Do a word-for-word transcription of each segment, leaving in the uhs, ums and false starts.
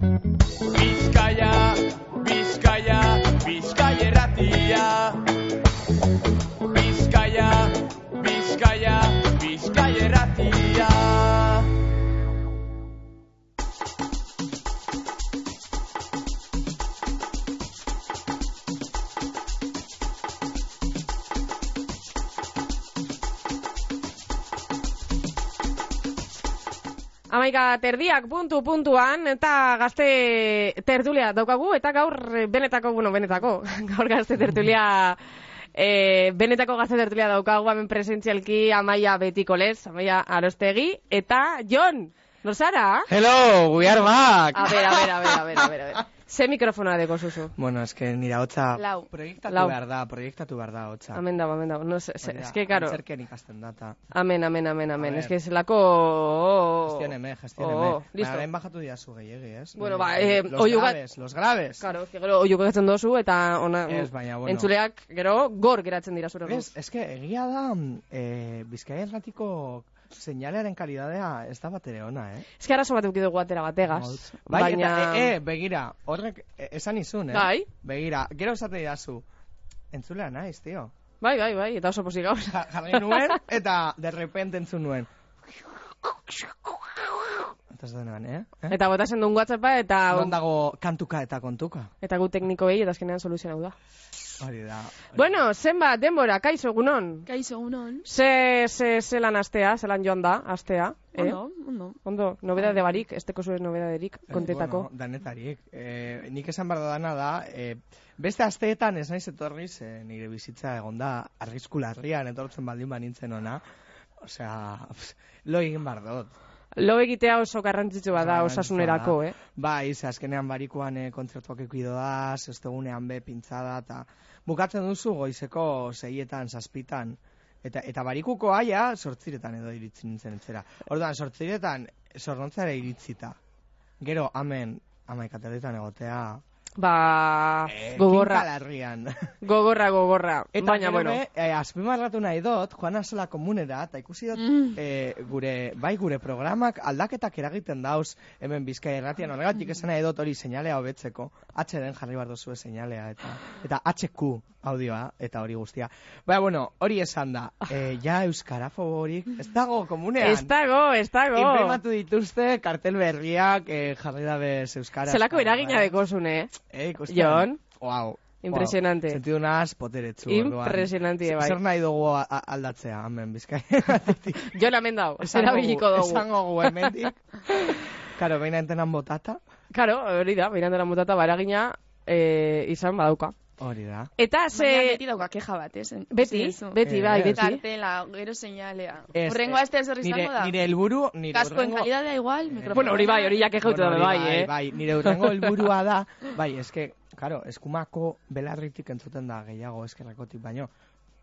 Bizkaia, Bizkaia, Bizkaia erratia. Bizkaia, Bizkaia, Bizkaia erratia. Amaika terdiak puntu puntuan eta gazte tertulia daukagu eta gaur benetako, bueno, benetako, gaur gazte tertulia, e, benetako gazte tertulia daukagu hemen presentzialki Amaia Betikoles, Amaia Arostegi eta Jon, norzara? Hello, we are back! A ver, a ver, a ver, a ver, a ver, a ver. Ze mikrofonoa deko zuzu? Bueno, es que nira hotza Lau. proiektatu Lau. behar da, proiektatu behar da hotza. Amen dago, amen dago. No, se, se, es que, karo. Antzerken ikasten data. Amen, amen, amen, amen. Es que zelako... Gestioneme, gestioneme. Oh, listo. Baina, bajatu diazu gehiagi, ez? Bueno, ba, eh, los oiuga- graves, los graves. Claro, es que gero oiuk egatzen dozu eta ona, Ez, baina, bueno. entzuleak gero gor geratzen dira zure. Ez, es que egia da, eh, Bizkaia erratiko seinalearen kalidadea ez da batere ona, eh? Ez que arazo bat eduki dugu atera bategaz. Bai, baina... eta, e, e, begira, horrek, e, esan izun, eh? Bai. Begira, gero esate didazu, entzulea naiz, tio. Bai, bai, bai, eta oso posik gauz. Ja- Jarri nuen, eta de repente entzun nuen. Eta ez denean, eh? eh? Eta botasen duen WhatsAppa eta... Non dago kantuka eta kontuka. Eta gu tekniko behi eta azkenean soluzionau da. Hori da. hori Bueno, zenbat, denbora, kaixo egunon. Kaixo, egunon. Ze, ze, zelan astea, zelan joan da, astea. Eh? Ondo, ondo. Ondo, nobedade barik, esteko zuen nobedaderik, da. kontetako. Bueno, danetarik. Eh, nik esan behar dana da, eh, beste asteetan ez naiz etorriz, eh, nire bizitza egon da, arrisku larrian etortzen baldin banintzen ona. Osea, pff, lo egin behar dut. Lo egitea oso garrantzitsu bada Garrantzitsua osasunerako, da. eh? Bai, ze azkenean barikuan eh, kontzertuak ekuido da, zestegunean be pintzada, eta bukatzen duzu goizeko seietan, zazpitan, eta, eta barikuko aia sortziretan edo iritsi nintzen etxera. Orduan, sortziretan zornontzara iritzita. Gero, amen, amaikaterritan egotea, Ba, eh, gogorra, kinkalarrian. gogorra, gogorra. Eta Baina, gero bueno, be, eh, azpimarratu nahi dut, joan azela komunera, eta ikusi dut, Mm. eh, gure, bai gure programak aldaketak eragiten dauz, hemen Bizkaia erratian, horregatik esan nahi dut hori seinalea hobetzeko, H den jarri behar duzue seinalea, eta, eta H Q audioa, eta hori guztia. Baina, bueno, hori esan da, eh, ja euskarafoborik, ez dago komunean. ez dago, ez dago. Inprimatu dituzte, kartel berriak, eh, jarri dabez euskara. Zelako eragina dekozune, Eh, ikusten. Jon? Wow. Impresionante. Wow. Sentidu nahaz poteretsu. orduan. Impresionante, bai. Zer nahi dugu a- a- aldatzea, hemen, Bizkaia. Jon amen dau, Esango erabiliko gu- dugu. Esango gu hemendik. Karo, behin entenan botata. Karo, hori da, beirandera mutata, ba, eragina eh, izan badauka. Hori da. Eta Baina ze... beti dauka keja bat, ez? Beti, Zizu. beti, bai, Ez. beti. Kartela, gero seinalea. Ez, Horrengo eh, aste zer nire, izango da? nire helburu, nire Kaskoen hurrengo- kalidadea igual, mikrofonoa. Bueno, hori bai, hori jake jautu Bueno, da, hori bai, eh? Bai, nire hurrengo helburua da, bai, eske, karo, eskumako belarritik entzuten da gehiago eskerrakotik, baino.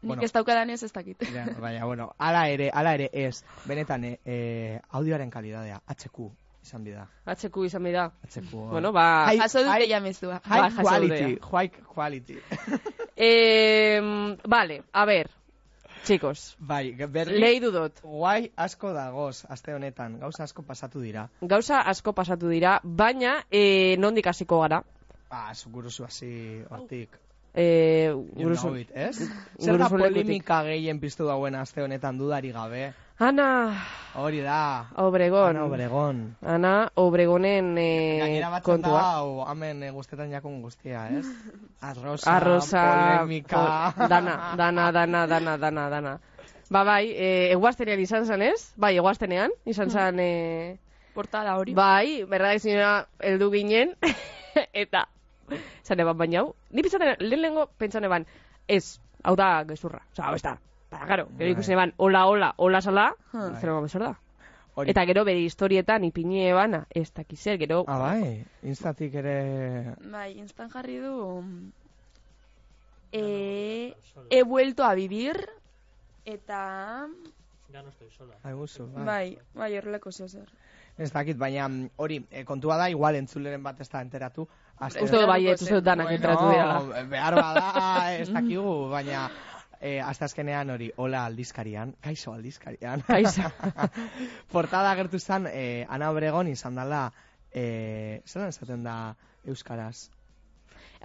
Nik ez daukadan ez ez dakit. Ja, baina, bueno, ala ere, ala ere ez, benetan, eh, eh, audioaren kalidadea, H Q, izan bida. H Q izan bida. H Q. Bueno, ba... Hai- Jaso dute hai- jamezua. Ba, High jaso quality, dute. high quality. Eh, vale, a ver, chicos, Bai, berri, lehi dudot. guai asko dagoz, aste honetan, gauza asko pasatu dira. Gauza asko pasatu dira, baina eh, nondik hasiko gara. Ah, zuguruzu hasi hortik. Eh, You guruzu- know it, ez? Zer da guruzu lekutik. polemika gehien piztu dauen aste honetan dudari gabe? Ana Hori da. Obregon. Ana Obregon. Ana Obregonen eh, Gainera batzen da, kontua. hau, hemen eh, guztetan jakun guztia, ez? Arrosa, Arroza, polemika... po- dana, dana, dana, dana, dana, dana. Ba, bai, eh, eguaztenean izan zen, ez? Bai, eguaztenean, izan zen, eh, Portada hori. bai, berdagizioa heldu ginen, eta, zan eban baina hau, ni pizzaten, lehen lehengo pentsan eban, ez, hau da gezurra, oza, hau ez da, ba, gero, gero Bai. ikusten eban, hola, hola, hola sala, Bai. zer eban bezor da. Hori. Eta gero bere historietan ipini ebana, ez dakizer, gero, Ah, bai, instatik ere... Bai, instan jarri du... Eh, he vuelto a vivir, eta... Ai, guzu, bai. Bai, bai, horrelako zer. Ez dakit, baina mm, hori, eh, kontua da, igual entzuleren bat ez da enteratu. Aste- uste dut bai, ez uste dut danak entratu dira. Bueno, behar bada, ez dakigu, baina eh, hasta azkenean hori, hola aldizkarian, kaixo aldizkarian. Kaixo. Portada agertu zen, eh, Ana Obregon izan dela e, zelan esaten da euskaraz?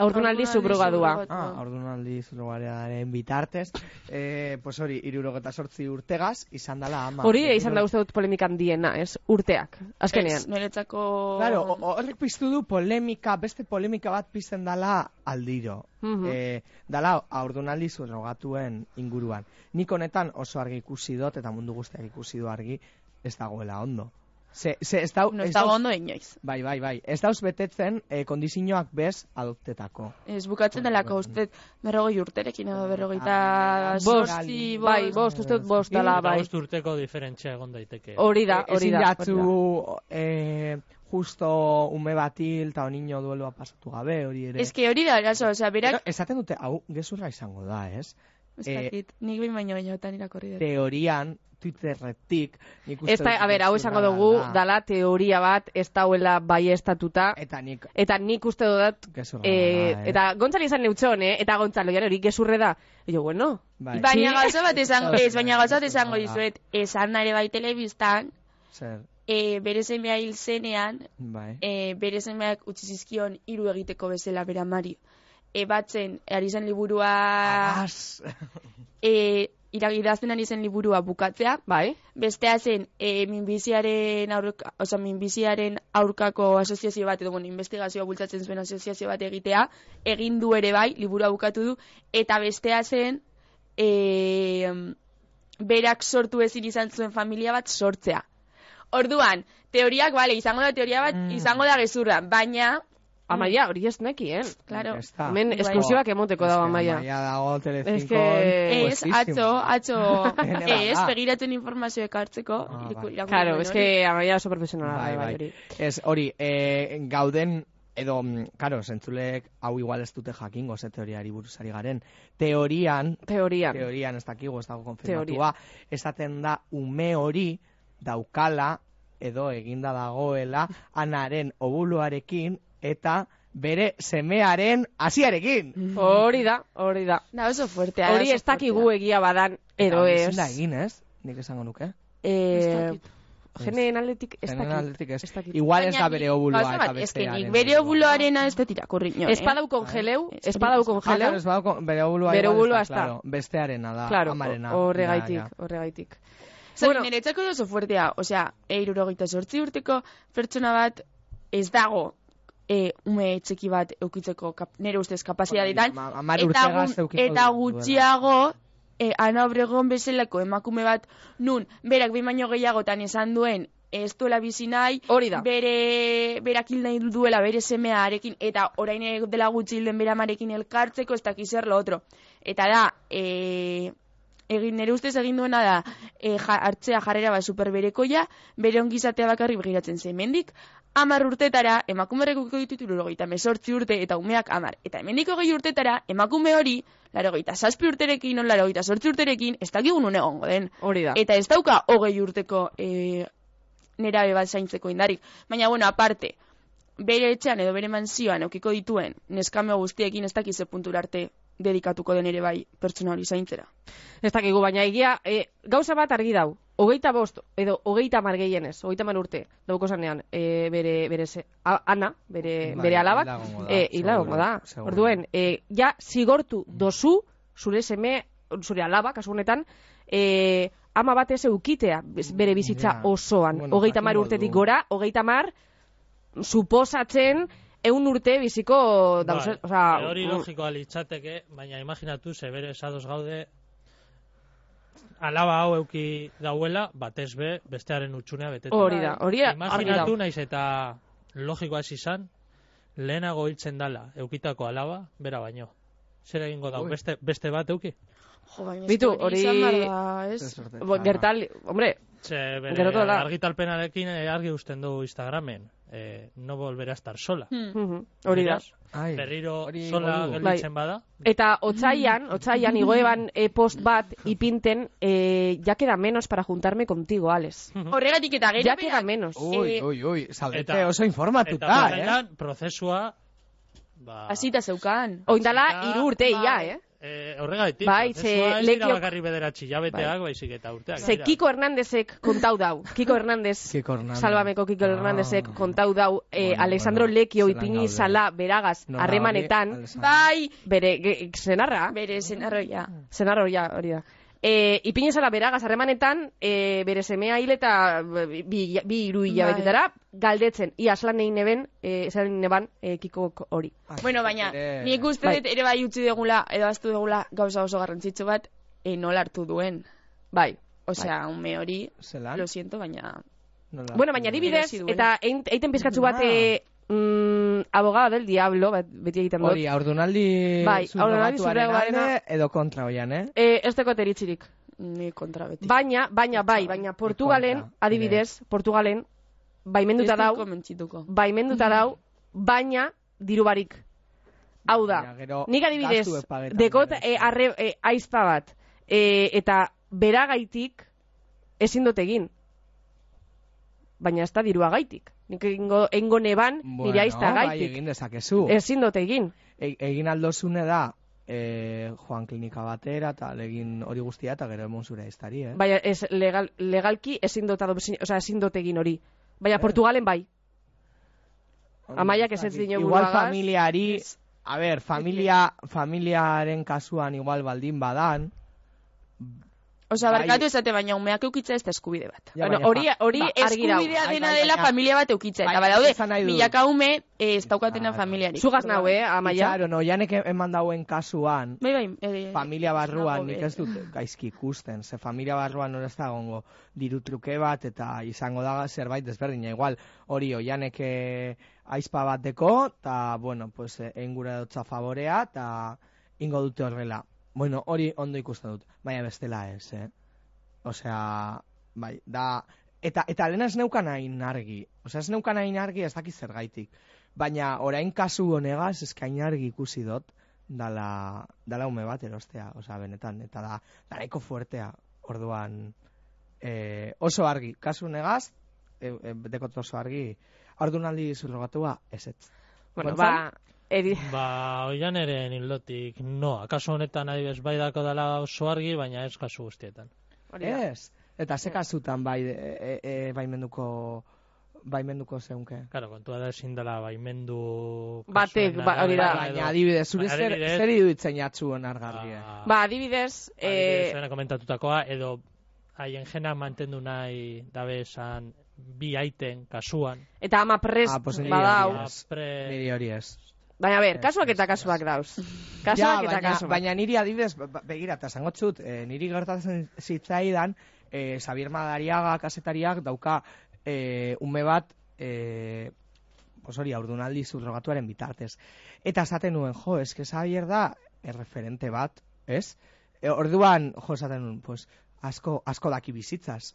Aurdunaldi subrogadua. Ah, aurdunaldi subrogaduaren bitartez. Eh, pues hori, hirurogeta zortzi urtegaz, izan dela ama. Hori izan da uste dut polemika handiena, ez? Urteak, azkenean. Ez, niretzako... Claro, ho- horrek piztu du polemika, beste polemika bat pizten dala aldiro. Mhm. Eh, dala aurdunaldi subrogatuen inguruan. Nik honetan oso argi ikusi dut, eta mundu guztiak ikusi du argi, ez dagoela ondo. Ze, ze, ez dau, No ez ez dago dauz- ondo inoiz. Bai, bai, bai. Ez dauz betetzen eh, kondizioak bez adoptetako. Ez bukatzen delako uste berrogei urterekin edo berrogeita Bost, sortzi, bai, bost, uste dut bost dala, Eta bai. bost urteko diferentzia egon daiteke. Hori da, hori Ezin da. jatzu eh, justo ume batil eta onino duelua pasatu gabe, hori ere. Ez que hori da, eraso, osea, Pero berak... esaten dute, hau, gezurra izango da, ez? Ez eh, dakit, nik behin baino gehiagotan irakorri dut. Teorian, Twitterretik, nik uste Ez da, dut a ber, hau esango gezurra dugu, dala. dala teoria bat, ez dauela baiestatuta, Eta nik eta nik uste dut, gezurra eh, dala, eh? eta Gontzali izan neutxon, eh? Eta Gontzalo, jare hori gezurre da. E jo, bueno, Bai. Baina Sí. gauza bat esango, ez, baina gauza bat esango Bai. dizuet, esan ere bai telebistan, Zer, e, bere semea hil zenean, bai. e, bere semeak utzi zizkion hiru egiteko bezala bera Mari. E, batzen, ari zen liburua, Agas! e, iragidazten ari zen liburua bukatzea, bai, bestea zen e, minbiziaren, aurka, oza, minbiziaren aurkako asoziazio bat, edo bueno, investigazioa bultzatzen zuen asoziazio bat egitea, egin du ere bai, liburua bukatu du, eta bestea zen, e, berak sortu ezin izan zuen familia bat sortzea. Orduan, teoriak, bale, izango da teoria bat, Mm. izango da gezurra, baina, Amaia, hori ez nekien. claro, Ez da. Hemen Bai. esklusibak emoteko dago Amaia. Amaia dago Telecinco. Es que- ez, atzo, atzo, Ene ez, bada. begiratzen informazio ekartzeko, Ah, iriku- bai. irakurri Claro, nuen es hori. que Amaia oso profesionala Bai, bai, bai. hori. Ez, hori, eh, gauden, edo, mm, karo, zentzulek hau igual ez dute jakingo, ze teoriari buruzari garen. Teorian, Teorian. teorian ez dakigu, ez dago Teoria. konfirmatua, esaten da ume hori daukala, edo eginda dagoela, anaren obuluarekin, eta bere semearen hasiarekin. Hori da, hori da. Da oso fuertea. da Hori oso ez dakigu fuertea. egia badan, edo Eta hori ez. ezin da egin, ez? Nik esango nuke. Eh, Ez dakit. geneen aldetik ez Generen dakit. aldetik ez. Ez dakit. Igual ez Baina da ni- bere obulua gauza eta bat, ez que bestearen. nik bere obuloarena ez dut irakurri inoen, Ez eh? badau kongeleu, Ez ez badau Ah, kongeleu. claro, ez badau, bere obulua Bere igual obulua ez ez da. claro, bestearena da, Claro, amarena. horregaitik, Ja, ja. horregaitik. Zer, Bueno. niretzako oso fuertea, osea, eirurogeita sortzi urteko pertsona bat ez dago e, ume txiki bat eukitzeko kap, nire ustez kapazitatetan, Ma- Hamar eta, urtegaz gu- eukiko eta duela. gutxiago e, Ana Obregon bezalako emakume bat nun, berak behin baino gehiagotan esan duen ez duela bizi nahi, Hori da. bere berak hil nahi duela bere semearekin, eta orain dela gutxi hilden bere amarekin elkartzeko, ez dakiz zer lo otro. Eta da, e, egin nire ustez egin duena da e, ja, hartzea jarrera bat superberekoia, bere ongizatea bakarrik begiratzen zen. Hemendik hamar urtetara emakumerek ukiko ditut hirurogeita hemezortzi urte eta umeak hamar. Eta hemendik hogei urtetara emakume hori laurogeita zazpi urterekin, on laurogeita zortzi urterekin, ez dakigun une egongo den. Hori da. Eta ez dauka hogei urteko e, nerabe bat zaintzeko indarik. Baina, bueno, aparte, bere etxean edo bere manzioan eukiko dituen neskame guztiekin ez dakize puntura arte dedikatuko den ere bai pertsona hori zaintzera. Ez dakigu, baina egia, e, gauza bat argi dau. Hogeita bost, edo hogeita mar gehienez, hogeita mar urte, dauko zanean, e, bere, bere ze, a, Ana, bere, Bai, bere alabak, hila egongo da, e, hila egongo da. seguro, seguro. Orduen, e, ja, zigortu dozu, zure seme, zure alaba, kasu honetan, e, ama bat ez eukitea bez- bere bizitza Ja. osoan. Bueno, Hogeita mar jakingo urtetik du. gora, hogeita mar, suposatzen, eun urte biziko, dauze, Bai, osea, hori mm, logikoa litzateke, baina imaginatu ze bere esadoz gaude alaba hau euki dauela, batez be, bestearen utxunea beteta. hori da, hori argi Imaginatu dau. naiz eta logikoa ez izan, lehenago hiltzen dala, eukitako alaba, bera baino. Zer egingo dau, Ui. beste, beste bat euki? Jo, baina Bitu, eske hori- izan behar da, ez? Ez sorte- bo- gertal, hombre, Ze bere Gero tola. argitalpenarekin eh, argi usten du Instagramen. Eh, no volverá a estar sola. Hmm. mhm, hori da. Beraz, Ai, berriro hori sola igo du. gelditzen bada. Eta otzaian, otzaian igoeban e, post bat ipinten, e, ya queda menos para juntarme contigo, Alex. Horregatik eta gero Ya queda berak- menos. Ui, Eh, ui, ui, zaudete eta- oso Eta informatuta, eh? horretan, prozesua ba, hasita zeukan. Oindala hasita, hiru urte ia, bai. eh? Eh, horregaitik, Bai, prozesua ze ez dira lekio- bakarri bederatzi jabeteak, baizik eta urteak. Ze dira. Kiko Hernandezek kontau dau. Kiko Hernandez, Kiko Hernández. Salvameko Kiko Ah. Hernandezek kontau dau, eh, Bueno, Alexandro bueno, Lekio zelan ipini gaude. zala beragaz Nola harremanetan, hori, Alexandro? Bai, bere ge- senarra, bere zenarroia. senarra hori da, hori da. E, ipini zala beragaz harremanetan, e, bere semea hil eta bi, bi, bi iru hilabetetara, galdetzen, ia aslan egin neben, e, esan neban, e, Kikok hori. Bueno, baina, Ere- nik uste Bai. dut ere bai utzi degula, edo aztu degula gauza oso garrantzitsu bat, e, nola hartu duen. Bai. Osea, ume hori, Zelan? lo siento, baina... Nola? Bueno, baina adibidez, Erosi duela. eta ein- eiten pizkatzu bat, Ah. e, mm, abogada del diablo, bat, beti egiten dut. Hori, aurdunaldi Bai, haurdunaldi subrogatuaren subrogatuarena- alde edo kontra hoian, eh? E, ez teko teritzirik. Ni kontra beti. Baina, baina, bai, baina Portugalen, kontra, adibidez, Portugalen, baimenduta Ez dut dau, konbentzituko. baimenduta dau, baina diru barik. Hau da, Baina gero nik adibidez, gastu epagetan dekot berez. e, arre, e, aizpa bat, e, eta beragaitik ezin dut egin. Baina ez da dirua gaitik. Nik egingo, engo neban nire aizta bai, gaitik. egin dezakezu. Ezin dut egin. E, egin aldozune da, e, joan klinika batera, eta egin hori guztia, eta gero emon zure aiztari, eh? Baina ez legal, legalki ezin dut, adopzin- osea, ezin dut egin hori. Baina Portugalen bai. Amaiak ez ez dino Igual buruagaz. familiari, a ber, familia, familiaren kasuan igual baldin badan, Osea, Bai. barkatu esate, baina umeak eukitza ez da eskubide bat. Ja, Bueno, baina hori, fa- hori Ba, argi dau. eskubidea Bai, dena bai, dela baina- familia bat eukitza. Eta Baina badaude, esan nahi dut. milaka ume eh, ez daukatena Claro. familiarik. Zugaz nau, eh, amaia. Claro, no, janek eman dauen kasuan, Bai, bai. eh, familia barruan nago nik be- ez dut gaizki ikusten, ze familia barruan hori ez da gongo diru truke bat, eta izango da zerbait desberdina, igual hori oianek eh, aizpa bat deko, eta, bueno, pues, eh, engura dutza favorea, eta ingo dute horrela. Bueno, hori ondo ikusten dut, baina bestela ez, eh? Osea, bai, da... Eta, eta lehena ez neukan hain argi. Osea, ez neukan hain argi ez dakiz zergaitik. Baina, orain kasu honegaz, eskain argi ikusi dut, dala, dala ume bat erostea, osea, benetan. Eta da, da nahiko fuertea, orduan, eh, oso argi. Kasu honegaz, e, e, dekot oso argi, ordunaldi zurrogatua, ez ez. Bueno, Gontzal? ba, edi... Ba, oian ere hildotik, no, akaso honetan adibes bai dako dela oso argi, baina ez kasu guztietan. hori da. Ez. Eta ze kasutan bai, e, e, baimenduko, baimenduko zeunke. Claro, kontua da ezin dela baimendu... Batek, kasuen ba, hori da. arabera edo- Baina, adibidez, zure Baina, zer, adibidez- zer iruditzen jatzu onargarri, eh? Ba, Ba, adibidez, adibidez, eh, zuena komentatutakoa, edo haien jena mantendu nahi dabe esan bi aiten kasuan. eta ama prest Ah, pues niri badau. hori ez. Apre... Niri hori ez. Baina, ber, Ez, kasuak ez, eta ez. kasuak dauz. Ja, Kasuak eta baina, kasuak. baina niri adibidez, ba- begira, eta esango txut, eh, niri gertatzen zitzaidan, eh, Xabier Madariaga kasetariak dauka eh, ume bat, eh, pues hori, aurdunaldi zurrogatuaren bitartez. Eta esaten nuen, jo, eske Xabier da erreferente bat, ez? E, orduan, jo, esaten nuen, pues, asko, asko daki bizitzaz.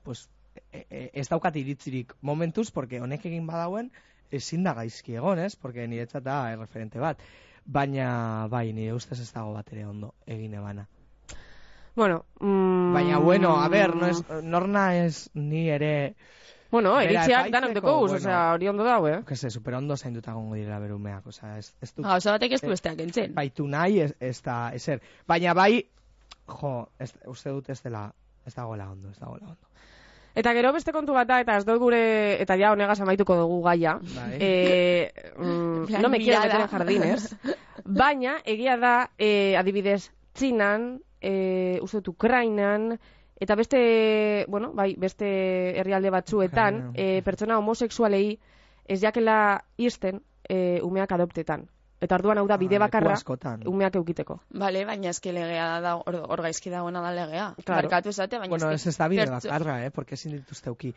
Pues, e, e, ez daukat iritzirik momentuz, porque honek egin badauen, ezin da gaizki egon, ez? Porque niretzat da erreferente bat. Baina, bai, nire ustez ez dago bat ere ondo egin ebana. Bueno, mm, Baina, bueno, a ber, no es, norna ez ni ere, Bueno, Bera, eritziak epaitzeko, danok deko guz, bueno. osea, hori ondo dau, eh? que se, super ondo zainduta gongo direla berumeak, osea, ez, ez dut Gauza batek ez du Eh, besteak entzen. baitu nahi, ez, ez da, ezer. Baina bai, jo, ez, uste dut ez dela, ez dagoela ondo, ez dagoela ondo. Eta gero beste kontu bat da, eta ez dut gure, eta ja honegaz amaituko dugu gaia. Bai. Eh, mm, Plan no me quiero mirada. meter en jardines. Baina, egia da, eh, adibidez, Txinan, eh, uste dut Ukrainan, eta beste, bueno, bai, beste herrialde batzuetan, Ukraina. eh, pertsona homosexualei ez jakela irten eh, umeak adoptetan. Eta orduan hau da bide Ah, leku bakarra askotan. umeak eukiteko. Bale, baina eske legea da, hor, hor gaizki dagoena da legea. Claro. Barkatu esate, baina Bueno, ez eske ez da bide pertso- bakarra, eh, porque ezin dituzte uki.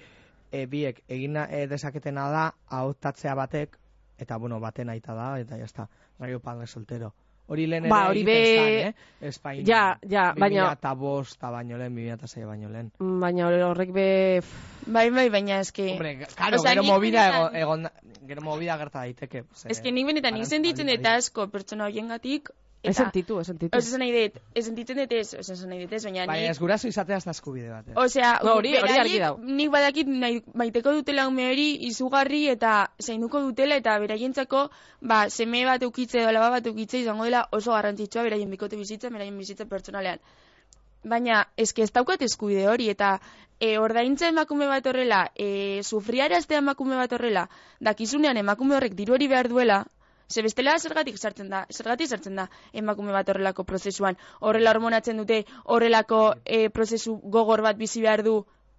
E, biek, egin e, dezaketena da, ahotatzea batek, eta, bueno, baten aita da, eta jazta, raio padre soltero. Hori lehen ere Ba, hori egiten be- zan, eh? Espainian. Ja, ja, baina- bi mila eta bost baino lehen, bi mila eta sei baino lehen. Mm, Baina horrek be... Bai, bai, baina eske... Hombre, claro, Osea, gero nik movida benetan- egon, egon, gero movida gerta daiteke. Ze, Eske nik benetan nik arantzadi sentitzen eta daiteke. asko pertsona horiengatik Ez sentitu, ez sentitu. Ez nahi dut, ez sentitzen dut ez, ez nahi dut ez, baina Baina ez nik... guraso izatea ez da eskubide bat. Eh? Osea, No, hori- hori beraiek argi dau. nik badakit nahi, maiteko dutela ume hori izugarri eta zainduko dutela eta beraientzako ba, seme bat eukitze edo alaba bat eukitze izango dela oso garrantzitsua beraien bikote bizitza, beraien bizitza pertsonalean. Baina, eske ez daukat eskubide hori eta e, ordaintza emakume bat horrela, e, sufriaraztea emakume bat horrela, dakizunean emakume horrek diru hori behar duela, ze bestela zergatik sartzen da, zergatik sartzen da emakume bat horrelako prozesuan, horrela hormonatzen dute, horrelako e, prozesu gogor bat bizi behar du,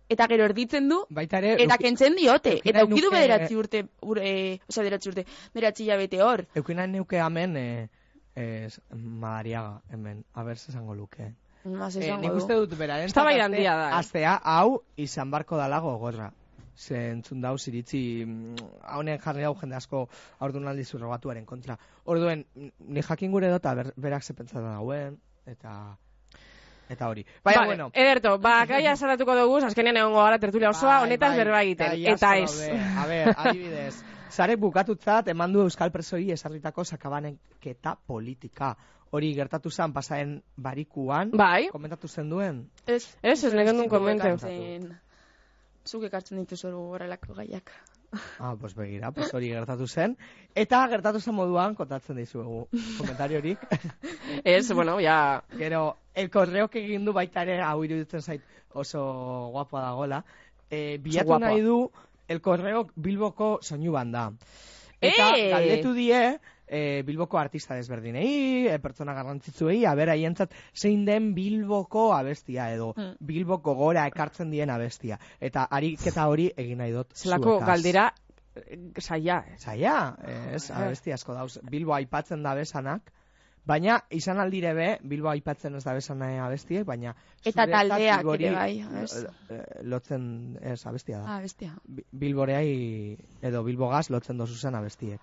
eta gero erditzen du, Baita ere, eta euki- kentzen diote, euki eta nahi ukidu nuke- bederatzi urte, ur, e, osea, bederatzi urte, bederatzi hilabete hor. Eukina neuke hemen eh, eh, Madariaga, hemen, haber esango luke. Mas Eh, esango nik du. uste dut beraren Eztabaida handia da, eh? Astea, hau izan barko dala gogorra. Ze entzun dauz iritzi, haunen jarri hau jende asko aurdunaldi surrogatuaren kontra. Orduen, ni jakin gure dut, ber, berak ze pentsatzen dauen, eta... Eta hori. Baina, Vale, bueno. Ederto, ba, gaia saratuko dugu, azkenean egongo gara tertulia osoa, Bai, honetaz bai, berba egiten, gai eta asko ez. daude. A ber, adibidez, zarek bukatutzat eman du Euskal Presoi esarritako sakabaneketa politika. Hori gertatu zen pasaren barikuan, Bai, komentatu zen duen. Ez, ez, ez nekendun komente. ekartzen- Zuk ekartzen dituzu horrelako gaiak. Ah, pues begira, pues hori gertatu zen. Eta gertatu zen moduan, kontatzen dizuegu komentariorik. Ez, bueno, ja... Gero, el correok egin du baita ere, hau iruditzen zait oso guapoa dagola. E, bilatu guapoa. nahi du, el correok Bilboko soinu banda. Eta Eh! galdetu die, e, Bilboko artista desberdinei, e, pertsona garrantzitsuei, aber haientzat zein den Bilboko abestia edo Mm. Bilboko gora ekartzen dien abestia. Eta ariketa hori egin nahi dut Zelako zuekaz. galdera, eh, saia, ez. Zaila, ez, abesti asko dauz. Bilbo aipatzen da besanak, baina izan aldire be, Bilbo aipatzen ez da besan abestiek, baina Eta zuretzat taldeak Bilbori, ere bai, ez? eh, eh, lotzen ez abestia da. Ah, bestia. Bi- Bilboreai edo Bilbogaz lotzen dozu zen abestiek.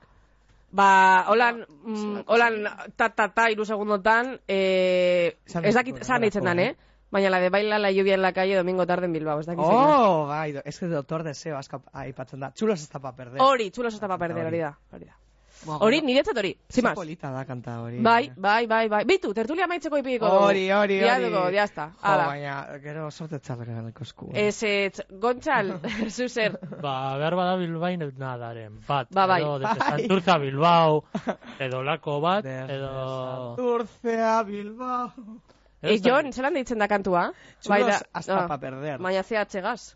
Ba, holan, mm, holan, ta, ta, ta, iru segundotan, eh, Esan ez dut, dakit, zan ditzen dan, horrelako, eh? Baina la de baila la lluvia en la calle domingo tarde en Bilbao, ez dakit zein da. Oh, bai, do- es que doctor deseo aska aipatzen da. Chulos está pa perder. Hori, txulos eta pa perder, hori da. Hori da. Bueno, Hori, niretzat hori, oso sin más. polita da kanta hori. Bai, bai, bai, bai. Bitu, tertulia maitzeko ipiko dugu. Hori, hori, Ya hori. dugu, ya está. Jo, Hala. baina, gero sorte txarrera ganeko esku. Ez, ez, Gontzal, zuzer. Ba, behar bada Bilbain nadaren bat. Ba, bai. Edo, Bai. desde Santurtza Bilbao, edo lako bat, edo... Turcea Bilbao. E, Jon, zelan deitzen da kantua? Chulos hasta ah, pa perder. Baina zea atxegaz.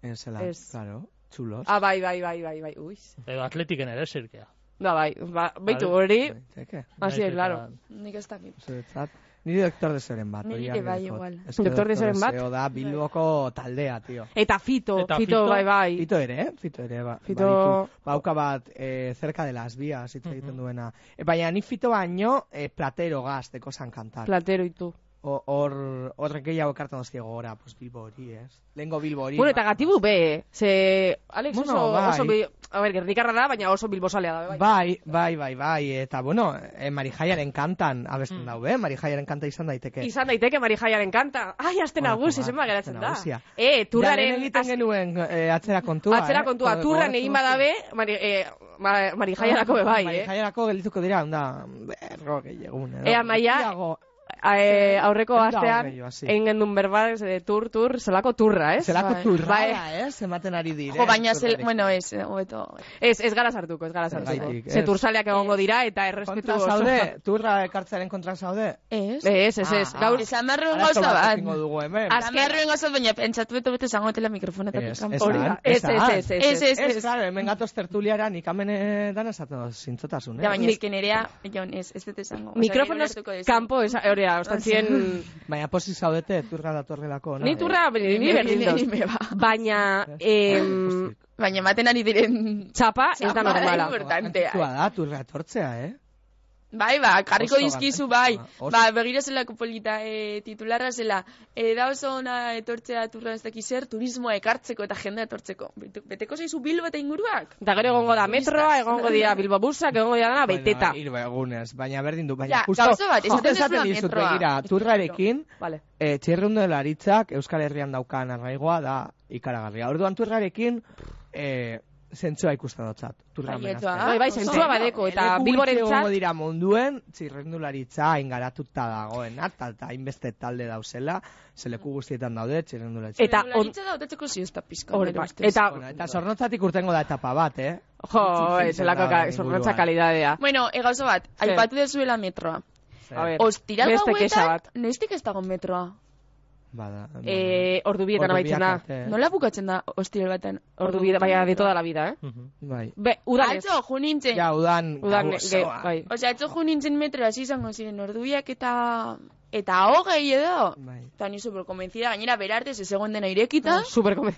Ez, zela, Ez. claro, chulos. Ah, bai, bai, bai, bai, bai, ui. Edo atletiken ere zirkea. Da, bai, ba, beitu Vale. hori, Zeke, hasi, Nahiz eta- claro. Nik ez dakit. zuretzat. Niri doktor desoren bat. Niri hori ere argi bai, dut. igual. Ez que Doktor Desoren bat? Deseo da Bilboko taldea, tio. Eta Fito, Eta Fito, Fito, bai, bai. Fito ere, eh? Fito ere, ba, Fito- baditu. Bauka bat, eh, cerca de las vías, hitz egiten duena. E, baina ni Fito baino, eh, platero gazteko zan kantar. Platero itu. O- Hor, horrek gehiago ekartan dozti gora, pues Bilbo hori, ez? Lehengo Bilbo hori. Bueno, eta gatibu be, ze... Alex Bueno, oso, bai. oso, bi- a ber, gerdikarra da, baina oso bilbosalea da, bai. Bai, bai, bai, bai, eta bueno, eh, Marijaiaren kantan abesten Mm. daue, Marijaiaren kanta izan daiteke. Izan daiteke Marijaiaren kanta. Ai, aste Bueno, nagusi, ba, zenba geratzen aste da. nagusia. Eh, Ja, turraren... lehen egiten az- genuen eh, atzera kontua, Atzera eh? kontua, Go- turran gogoratzen egin duzu? badabe, mari, eh, ma, Marijaiarako be bai, eh? Marijaiarako geldituko dira, onda, berro gehiagun, edo. Ea, Maia, Gutxiago. Eh, aurreko Ehun da astean hogei, hasi. egin gendun berba, ez, de tur, tur, zelako turra, ez? Zelako Bai. turrada, eh? Ematen ari dire. Jo, baina, zel, turrarekin. bueno, ez, eh, hobeto. Ez, ez gara sartuko, ez gara sartuko. Zergatik, Ze ez. tursaleak egongo dira eta errespetu Kontra oso. zaude, turra ekartzaren kontra zaude. Ez? Ez, ez, ez. Ah, Gaur, Esan beharruen Arazo gauza bat bat. egingo dugu hemen. Az- Esan beharruen gauza, baina pentsatu beto bete zango etela mikrofonetatik Ez, kanpo. ez hori da, da. Ez, ez, ez, ez, Ez, ez, Ez, ez. claro, hemen gatoz tertuliara nik hemen dan esaten dut zintzotasun, Ja, eh? baina ezken nerea, Jon, ez, ez dut esango. Osea, mikrofonoz gero ulertuko duzu. kanpo, esa- hori da, ostantzien... Baina posi zaudete, turra datorrelako, no? Ni turra, ni Ni berdin berdin doz. me ba. Baina, em, Baina ematen ari diren... txapa ez da Txapa, normala. importantea. Antzua da, turra etortzea, eh? Bai, ba, karriko Oso dizkizu, garrantzitsua, bai. oso. Ba, begira zelako polita, e, titularra zela. E, da oso ona etortzea turra ez dakiz zer, turismoa ekartzeko eta jendea etortzeko. Bete- Beteko zaizu Bilbo eta inguruak? Eta gero egongo da metroa, egongo dira Bilbo busak, egongo dira dana beteta. Bueno, hiru egunez, baina berdin du, baina Ja, justo, gauza bat, justo esaten esaten duzula dizut metroa. begira, turrarekin, Vale. e, txirrundularitzak Euskal Herrian daukan arraigoa da ikaragarria. Orduan turrarekin, e, zentzua ikusten dotzat. Turra Baietza. menazten. Bai, bai, zentzua badeko, eta Bilborentzat egongo dira munduen, txirrendularitza ingaratuta dagoen, eta eta hainbeste talde dauzela, zeleku guztietan daude, txirrendularitza. Eta on- Txirrendularitza da, otatzeko ziosta pizka. Hori, nire bai. ustez. Eta, Bueno, eta zornotzatik urtengo da etapa bat, eh? jo, Itxi zelako zen da zornotza inguruan. kalidadea. Bueno, egauzo bat, Zer? aipatu dezuela metroa. A ber, Ostiral beste kexa gauetan, bat. noiztik ez dago metroa? Bada, Eh, ordu bietan amaitzen da. Nola bukatzen da ostiral baten? Ordu bietan, baina de toda la vida, eh? Mhm. Bai. Be, udan ez. Atzo, ju nintzen. Ja, udan, Udan, gau ge, osoa. bai. Osea, atzo ju nintzen metroa, hasi izango ziren ordubiak eta... Eta hogei edo. Bai. Eta ni super konbentzida, gainera berartez ez egon dena irekita. Super come.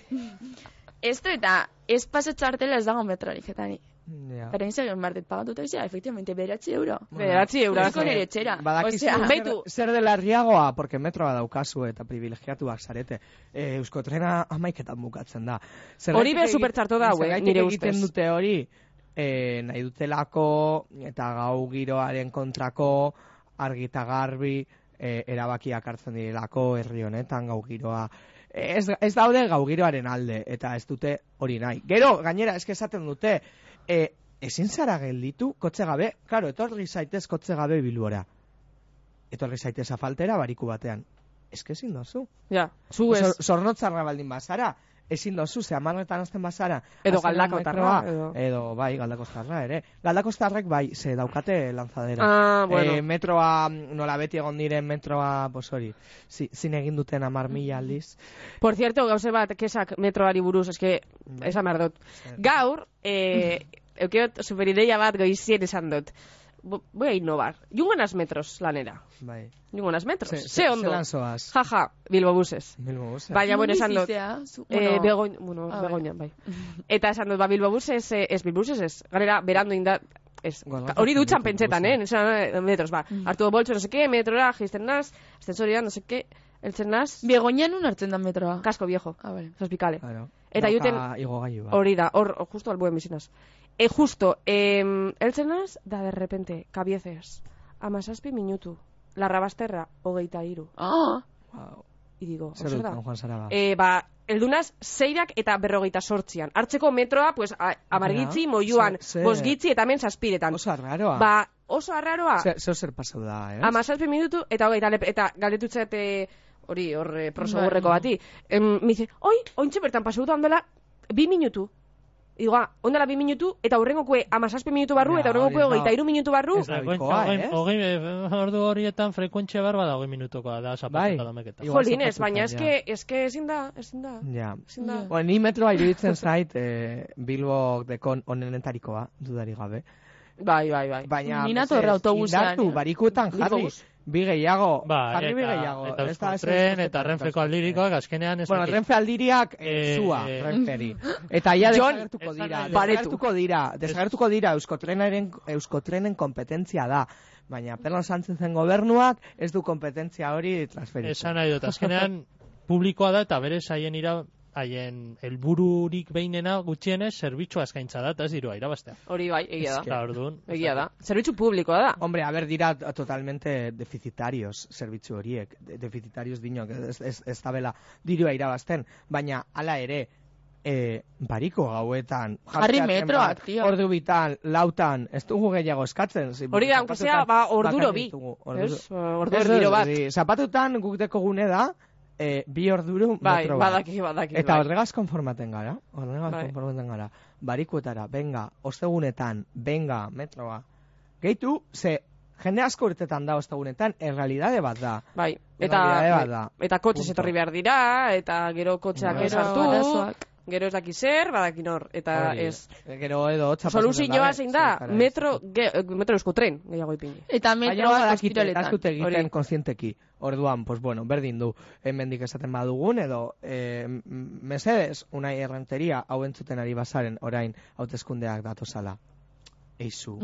Esto eta ez pasatxartela ez dago metrorik, eta ni. Ja. Pero nintzen egin bartet pagatuta izan, efectivamente, beratzi euro. Bederatzi euro. Ezko nire etxera. Badakizu Osea, zer- beitu. zer dela riagoa, porque metroa daukazu eta privilegiatuak zarete. E, Euskotrena amaiketan bukatzen da. Zergatik Hori be egit- supertxarto da, hau, eh, zergatik nire egiten ustez. dute hori, e, nahi dutelako eta gau giroaren kontrako argi eta garbi e, erabakiak hartzen direlako herri honetan gau giroa. Ez, ez daude gau giroaren alde, eta ez dute hori nahi. Gero, gainera, eske esaten dute, e, ezin zara gelditu, kotxe gabe, karo, etorri zaitez kotxe gabe Bilbora. Etorri zaitez afaltera bariku batean. Eske ezin dozu. Ja, zu ez. Zor, zornotzarra baldin bazara, ezin dozu, ze hamarretan azten bazara. Edo azken Galdakotarra, metroa, edo- edo... bai, galdakostarra ere. Galdakostarrek bai, ze daukate lanzadera. Ah, bueno. Eh, metroa, nola beti egon diren metroa, pues hori, zi, zin egin duten amar mila aldiz. Por cierto, gauze bat, kesak metroari buruz, eske, esan behar dut. Gaur, eh, eukeot superideia bat goizien esan dut. Bo- Voy a innovar. Jungonaz metros lanera. Bai. Jungonaz metros. Ze, Ze ondo. zelan zoaz? Jaja, Bilbo buses. Bilbo buses. Baina, bueno, esan dut. Bizizea, zu- Eh, bueno, begoin, bueno, a begoinan, bai. Eta esan dut, ba, Bilbo buses, eh, ez Bilbo buses, ez. Ganera, berandu inda, ez. Galdatzen Hori dutxan dut, pentsetan, eh? Esan, eh, metros, ba. Hartu boltso, no seke, metrora, jisten naz, ascensorian, no seke, eltzen naz, Begoñan un hartzen da metroa. kasko viejo. Ah, vale. Zazpikale. Claro. Eta Dauka juten- igogailu bat. Hori da, hor, justo albuen bizinaz. E, justo, eh, eltzen naz, da de repente, kabiezes, amazazpi minutu, larrabasterra, hogeita iru. Ah, Wow. I digo, Zer zer da? dut, Juan Saraba? E, ba, eldunaz, zeirak eta berrogeita sortzian. Hartzeko metroa, pues, a, amargitzi, Ja, moiuan, ze- ze- bosgitzi eta hemen zazpiretan. Oso arraroa. Ba, oso arraroa, Zer, zer zer pasau da, eh? amazazpi minutu eta hogeita lep, eta galdetutzet, eh, hori, hor, eh, prosegurreko Bai. bati. Em, me dice, oi, ointxe bertan pasau da ondela, bi minutu. Digo, ah, ondela bi minutu, eta hurrengokue amazazpi minutu barru, Ja, eta hurrengokue hori da. hogeita iru minutu barru. Ez da Frekuentzia, bikoa, hogei, eh? hogei, eh, ordu horietan frekuentzia barba da hogei minutokoa da Bai. zapatuta domeketa. Igual Jolines, zapatutan, baina ja. eske, eske ezin da, ezin da. Ja. Ezin da. Ja. Bueno, ni metroa iruditzen zait, eh, Bilbo dekon onenetarikoa, dudari gabe. Bai, bai, bai. Baina, Ni nator mesedez, autobusean, indartu, eh? barikuetan jarri, Bilbobus. bi gehiago, Ba, jarri bi eta, gehiago. eta Ez da, ez Euskotren ez- eta Renfeko aldirikoak azkenean ez Bueno, dakit. Renfe aldiriak eh, Eh, zua, eh. Renferi. Eta ia Jon, desagertuko esan dira, nahi dut. desagertuko dira, desagertuko dira Euskotrenaren, Euskotrenen kompetentzia da. Baina Pedro Sánchezen gobernuak ez du kompetentzia hori transferitu. Esan nahi dut, azkenean publikoa da eta berez haien ira haien helbururik behinena gutxienez zerbitzua eskaintza da eta ez dirua irabaztea. Hori bai, egia da. Eta orduan. Egia da. Zerbitzu publikoa da. Hombre, a ver, dira totalmente deficitarios zerbitzu horiek, de- deficitarios dinok, ez, ez, ez tabela dirua irabazten, baina hala ere, e, bariko gauetan, Jarri jartzeatzen metroak, bat, tio. ordu bitan, lautan, ez dugu gehiago eskatzen. zi- Hori da, aunque sea, ba, orduro bakarrik bi. dugu, orduro- Ez? Ordu Ez, erdiro bat. zi, zapatutan guk deko gune da, e, bi orduru Bai, metro bat. badaki, badaki. Eta bai. horregaz konformaten gara, horregaz Bai. konformaten gara. Barikuetara, benga, ostegunetan, benga, metroa. Gehitu, ze jende asko urtetan da ostegunetan, errealidade bat da. Bai, eta, Errealidade bat da. eta kotxez Punto. etorri behar dira, eta gero kotxeak Bai. ez Gero hartu, arazoak. gero ez daki zer, badaki nor, eta Hori, ez. Gero edo hotza Soluzioa zein da, metro, ge, metro euskotren, gehiago ipini. Eta Baina metroak badakite, eta ospitaletan. ez dute egiten Hori. konzienteki. Orduan, pues bueno, berdin du, hemendik esaten badugun, edo, eh, m- mesedes, unai errenteria, hau entzuten ari bazaren, orain, hauteskundeak datozala. Eizu,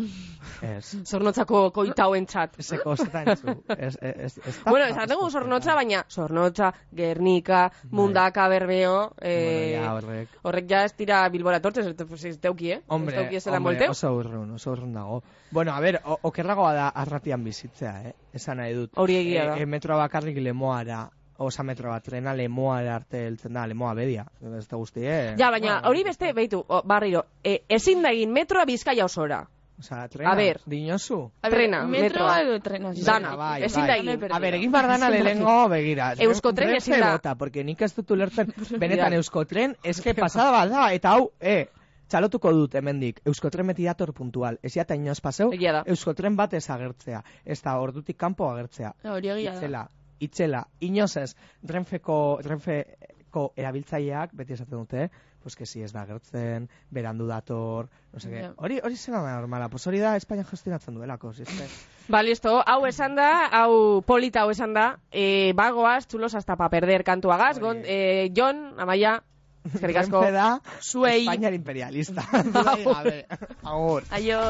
ez. Zornotzako koita hoentzat. Ezeko zetan entzu. Ez, ez, ez da- Bueno, esan dugu Zornotza, baina Zornotza, Gernika, Mundaka, Berbeo, eh, Bueno, ja, horrek. horrek ja ez dira Bilbora tortzez, ez pues, ez teuki, eh? Hombre, ez teuki ez dela hombre, molteu. oso urrun, oso urrun dago. Bueno, a ver, o- okerragoa da arratian bizitzea, eh? Esan nahi dut. Hori egia da. E, e, metroa bakarrik lemoara osa metro bat trena lemoa arte heltzen da, lemoa bedia. Ez da guztie. Ja, baina hori beste, beitu, o, barriro, e, ezin da egin metroa Bizkaia osora. Osa, trena, A ber. dinosu. Trena, metroa metroa. edo trena. Dana, bai, ezin bai. da egin. A ber, egin bar dana lehengo, begira. Euskotren Renfe ezin da. bota, porque nik ez dut ulertzen, benetan Euskotren, eske pasada bat da, eta hau, e, txalotuko dut hemendik, Euskotren beti dator puntual. Ez eta inoz paseu, Egia da. Euskotren bat ez agertzea. Ez da, ordutik kanpo agertzea. Hori egia da. Itzela, itzela, inoz ez, Renfeko, Renfeko erabiltzaileak, beti esaten dute, pues que si ez da agertzen, berandu dator, no sé Ja. Hori, hori zena da normala, pues hori da Espainia gestionatzen duelako, si eske. Ba, listo, hau esan da, hau polita hau esan da, e, bagoaz, txulos hasta pa perder kantuagaz, gon, e, Jon, Amaia, eskerrik asko. Renfe da Zuei. Espainiar imperialista. Dudarik gabe. Agur. Aio.